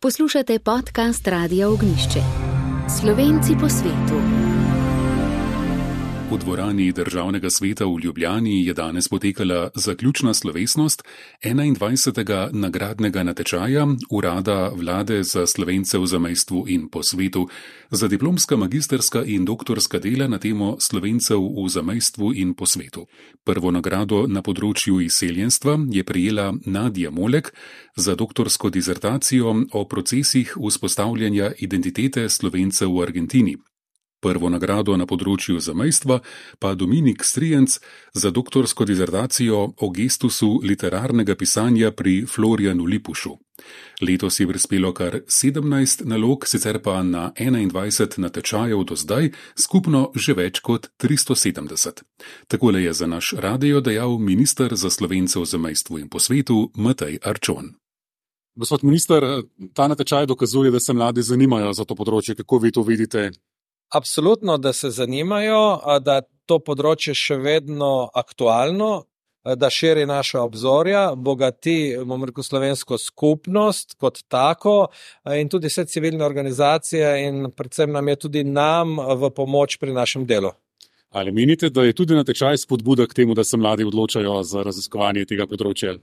Poslušate podcast Radia Ognjišče. Slovenci po svetu. V dvorani Državnega sveta v Ljubljani je danes potekala zaključna slovesnost 21. nagradnega natečaja Urada Vlade za Slovence v zamejstvu in po svetu za diplomska, magisterska in doktorska dela na temo Slovencev v zamejstvu in po svetu. Prvo nagrado na področju izseljenstva je prejela Nadja Molek za doktorsko dizertacijo o procesih vzpostavljanja identitete Slovencev v Argentini. Prvo nagrado na področju zamejstva pa Dominik Strijenc za doktorsko dizertacijo o gestusu literarnega pisanja pri Florjanu Lipušu. Letos je prispelo kar 17 nalog, sicer pa na 21 natečajev do zdaj, skupno že več kot 370. Takole je za naš radio dejal minister za Slovence v zamejstvu in po svetu Matej Arčon. Gospod minister, ta natečaj dokazuje, da se mladi zanimajo za to področje. Kako vi to vidite? Absolutno, da se zanimajo, da to področje še vedno aktualno, da širi naša obzorja, bogati, slovensko skupnost kot tako in tudi vse civilne organizacije in predvsem nam je tudi v pomoč pri našem delu. Ali menite, da je tudi natečaj spodbuda k temu, da se mladi odločajo za raziskovanje tega področja?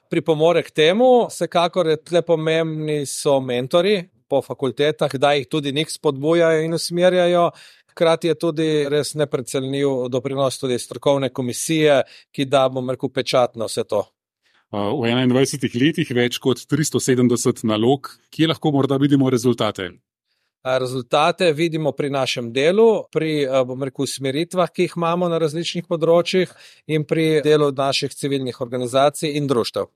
Pripomore k temu, vsekakor je tle pomembni so mentori po fakultetah, da jih tudi njih spodbujajo in usmerjajo. Hkrati je tudi res neprecenljiv doprinos tudi strokovne komisije, ki da, pečat na vse to. V 21 letih več kot 370 nalog, kje lahko morda vidimo rezultate? Rezultate vidimo pri našem delu, pri usmeritvah, ki jih imamo na različnih področjih in pri delu naših civilnih organizacij in društev.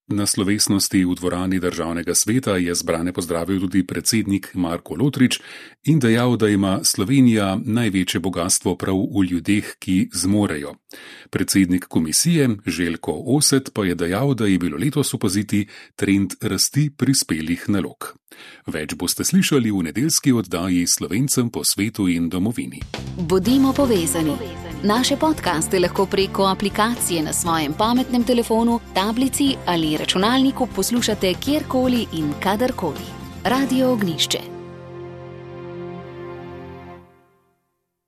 Na slovesnosti v dvorani Državnega sveta je zbrane pozdravil tudi predsednik Marko Lotrič in dejal, da ima Slovenija največje bogastvo prav v ljudeh, ki zmorejo. Predsednik komisije Željko Oset pa je dejal, da je bilo letos opaziti trend rasti prispelih nalog. Več boste slišali v nedeljski oddaji Slovencem po svetu in domovini. Bodimo povezani. Naše podcaste lahko preko aplikacije na svojem pametnem telefonu, tablici ali računalniku poslušate kjerkoli in kadarkoli. Radio Ognjišče.